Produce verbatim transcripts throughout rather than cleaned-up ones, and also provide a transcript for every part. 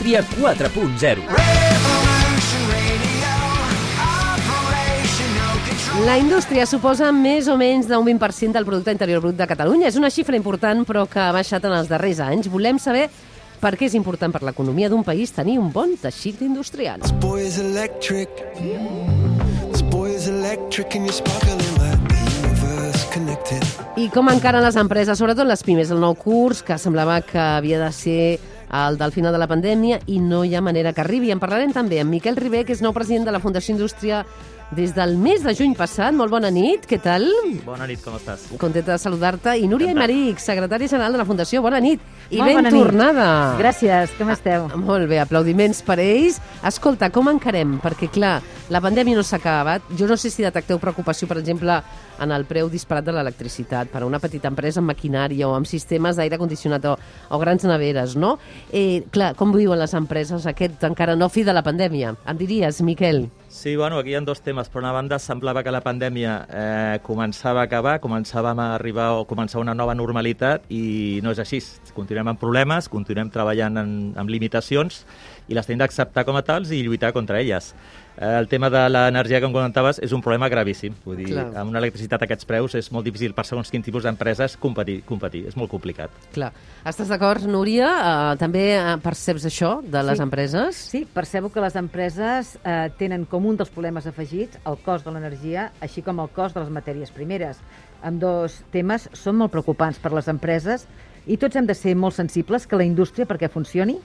Indústria quatre punt zero. La indústria suposa més o menys d'un vint per cent del producte interior brut de Catalunya. És una xifra important, però que ha baixat en els darrers anys. Volem saber per què és important per l'economia d'un país tenir un bon teixit industrial. I com encaren les empreses, sobretot les pimes, el nou curs, que semblava que havia de ser el del final de la pandèmia i no hi ha manera que arribi. En parlarem també amb Miquel Ribé, que és nou president de la Fundació Indústria des del mes de juny passat. Molt bona nit, què tal? Bona nit, com estàs? Contenta de saludar-te. I Núria Aymeric, secretària general de la Fundació, bona nit. I Molt ben bona tornada. Nit. Gràcies, com esteu? Ah, molt bé, aplaudiments per ells. Escolta, com encarem? Perquè, clar, la pandèmia no s'ha acabat. Jo no sé si detecteu preocupació, per exemple, en el preu disparat de l'electricitat per a una petita empresa amb maquinària o amb sistemes d'aire condicionat o, o grans neveres, no? Eh, clar, com viuen les empreses aquest encara no fi de la pandèmia? Em diries, Miquel? Sí, bueno, aquí hi ha dos temes. Per una banda, semblava que la pandèmia eh, començava a acabar, començàvem a arribar o començar una nova normalitat i no és així. Continuem amb problemes, continuem treballant en, amb limitacions i les tenim d'acceptar com a tals i lluitar contra elles. Eh, el tema de l'energia que em comentaves és un problema gravíssim. Vull dir, Clar. amb una electricitat a aquests preus és molt difícil per segons quin tipus d'empreses competir, competir. És molt complicat. Clar. Estàs d'acord, Núria? Uh, també uh, perceps això de les sí. empreses? Sí, percebo que les empreses eh, tenen com un dels problemes afegits el cost de l'energia, així com el cost de les matèries primeres. Amb dos temes són molt preocupants per les empreses i tots hem de ser molt sensibles que la indústria, perquè funcioni,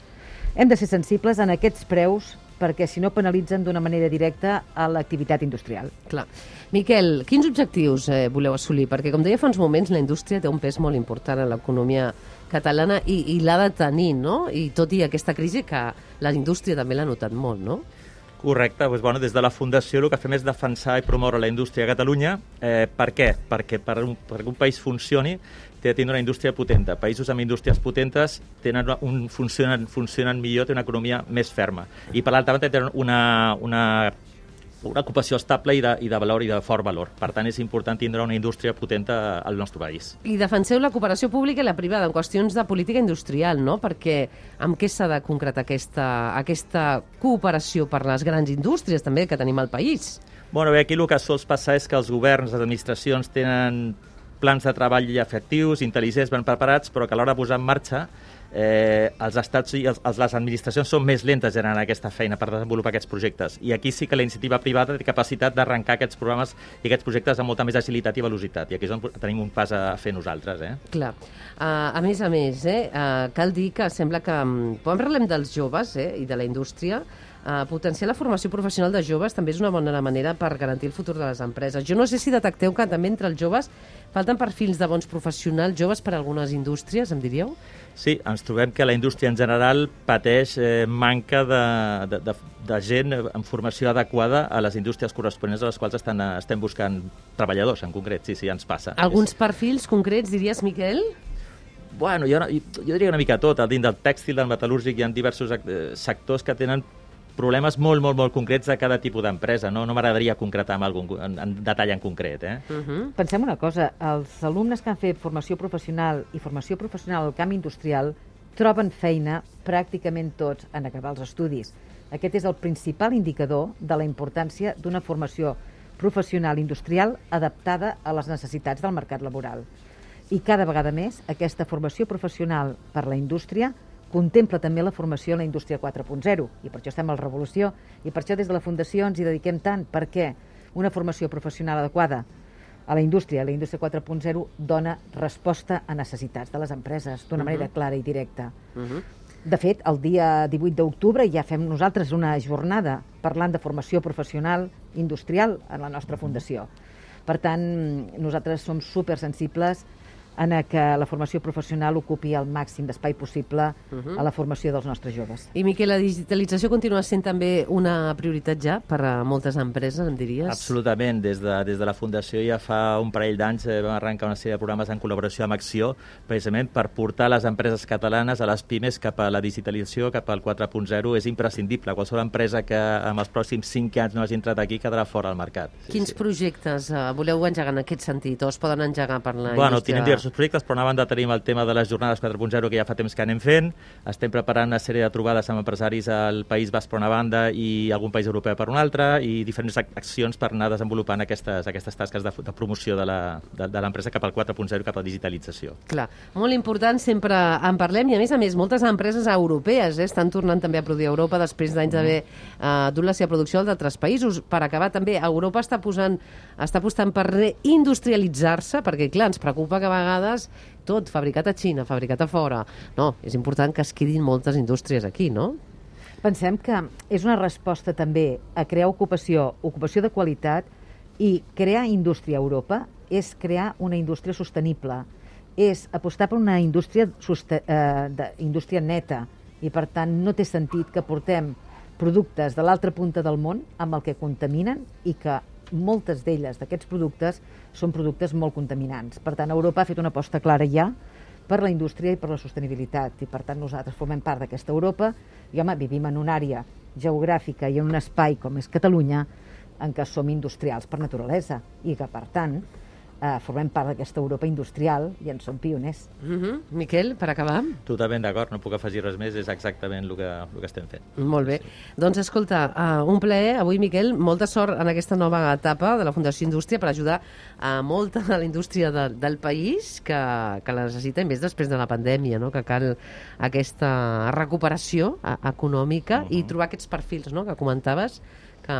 hem de ser sensibles en aquests preus perquè si no penalitzen d'una manera directa a l'activitat industrial. Clar. Miquel, quins objectius eh, voleu assolir? Perquè, com deia fa uns moments, la indústria té un pes molt important en l'economia catalana i, i l'ha de tenir, no? I tot i aquesta crisi que la indústria també l'ha notat molt, no? Correcte. Doncs, bueno, des de la Fundació el que fem és defensar i promoure la indústria a Catalunya. Eh, per què? Perquè per un, perquè un país funcioni té de tenir una indústria potenta. Països amb indústries potentes tenen un, funcionen, funcionen millor, tenen una economia més ferma. I per l'altra banda tenen una, una, una ocupació estable i de, i de valor i de fort valor. Per tant, és important tindre una indústria potenta al nostre país. I defenseu la cooperació pública i la privada en qüestions de política industrial, no? Perquè amb què s'ha de concretar aquesta, aquesta cooperació per les grans indústries també que tenim al país? Bueno, bé, aquí el que sols passar és que els governs, les administracions tenen plans de treball efectius, intel·ligents, ben preparats, però que a l'hora de posar en marxa eh, els estats i els, les administracions són més lentes generant aquesta feina per desenvolupar aquests projectes. I aquí sí que la iniciativa privada té capacitat d'arrencar aquests programes i aquests projectes amb molta més agilitat i velocitat. I aquí és on tenim un pas a fer nosaltres. Eh? Clar. Uh, a més a més, eh, uh, cal dir que sembla que, quan parlem dels joves eh, i de la indústria, Uh, potenciar la formació professional de joves també és una bona manera per garantir el futur de les empreses. Jo no sé si detecteu que també entre els joves falten perfils de bons professionals joves per a algunes indústries, em diríeu? Sí, ens trobem que la indústria en general pateix eh, manca de, de, de, de gent amb formació adequada a les indústries corresponents a les quals estan, estem buscant treballadors, en concret. Sí, sí, ens passa. Alguns perfils concrets, diries, Miquel? Bueno, jo, jo diria una mica tot. Dins del tèxtil, del metal·lúrgic, hi ha diversos sectors que tenen problemes molt, molt, molt concrets de cada tipus d'empresa. No, no m'agradaria concretar amb algun, en, en detall en concret. Eh? Uh-huh. Pensem una cosa, els alumnes que han fet formació professional i formació professional al camp industrial troben feina pràcticament tots en acabar els estudis. Aquest és el principal indicador de la importància d'una formació professional industrial adaptada a les necessitats del mercat laboral. I cada vegada més aquesta formació professional per la indústria contempla també la formació en la indústria quatre punt zero, i per això estem a la revolució, i per això des de la Fundació ens hi dediquem tant, perquè una formació professional adequada a la indústria, la indústria quatre punt zero, dona resposta a necessitats de les empreses d'una uh-huh. manera clara i directa. Uh-huh. De fet, el dia divuit d'octubre ja fem nosaltres una jornada parlant de formació professional industrial en la nostra Fundació. Per tant, nosaltres som supersensibles en que la formació professional ocupi el màxim d'espai possible uh-huh. a la formació dels nostres joves. I, Miquel, la digitalització continua sent també una prioritat ja per a moltes empreses, em diries? Absolutament. Des de, des de la Fundació ja fa un parell d'anys eh, vam arrencar una sèrie de programes en col·laboració amb Acció, precisament per portar les empreses catalanes, a les pimes, cap a la digitalització, cap al quatre punt zero. És imprescindible. Qualsevol empresa que en els pròxims cinc anys no hagi entrat aquí quedarà fora del mercat. Sí, Quins sí. projectes uh, voleu engegar en aquest sentit o es poden engegar per la bueno, indústria? Tenim diversos diversos projectes, però a una banda tenim el tema de les jornades quatre punt zero, que ja fa temps que anem fent. Estem preparant una sèrie de trobades amb empresaris al País Basc per una banda i algun país europeu per una altra, i diferents accions per anar desenvolupant aquestes, aquestes tasques de, de promoció de l'empresa cap al quatre punt zero, cap a la digitalització. Clar, molt important, sempre en parlem, i a més a més, moltes empreses europees eh, estan tornant també a produir a Europa després d'anys d'haver eh, dut la seva producció d'altres països. Per acabar, també, Europa està posant, està apostant per reindustrialitzar-se, perquè, clar, ens preocupa que a vegades tot fabricat a Xina, fabricat a fora. No, és important que es quedin moltes indústries aquí, no? Pensem que és una resposta també a crear ocupació, ocupació de qualitat, i crear indústria a Europa és crear una indústria sostenible, és apostar per una indústria, eh, de, indústria neta, i per tant no té sentit que portem productes de l'altra punta del món amb el que contaminen, i que moltes d'elles, d'aquests productes, són productes molt contaminants. Per tant, Europa ha fet una aposta clara ja per la indústria i per la sostenibilitat, i per tant nosaltres formem part d'aquesta Europa, i home, vivim en una àrea geogràfica i en un espai com és Catalunya, en què som industrials per naturalesa, i que per tant eh, formem part d'aquesta Europa industrial i en som pioners. Mm-hmm. Miquel, per acabar? Totalment d'acord, no puc afegir res més, és exactament el que, el que estem fent. Molt bé. Sí. Doncs escolta, uh, un plaer avui, Miquel, molta sort en aquesta nova etapa de la Fundació Indústria per ajudar a molta de la indústria de, del país que, que la necessita, més després de la pandèmia, no? Que cal aquesta recuperació uh, econòmica uh-huh. i trobar aquests perfils, no? Que comentaves, que,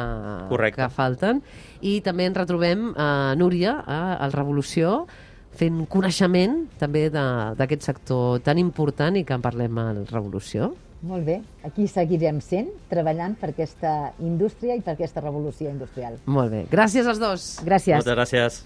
que falten. I també ens retrobem a uh, Núria, a uh, el Revolució, fent coneixement també d'aquest sector tan important i que en parlem al Revolució. Molt bé, aquí seguirem sent, treballant per aquesta indústria i per aquesta revolució industrial. Molt bé, gràcies als dos. Gràcies. Moltes gràcies.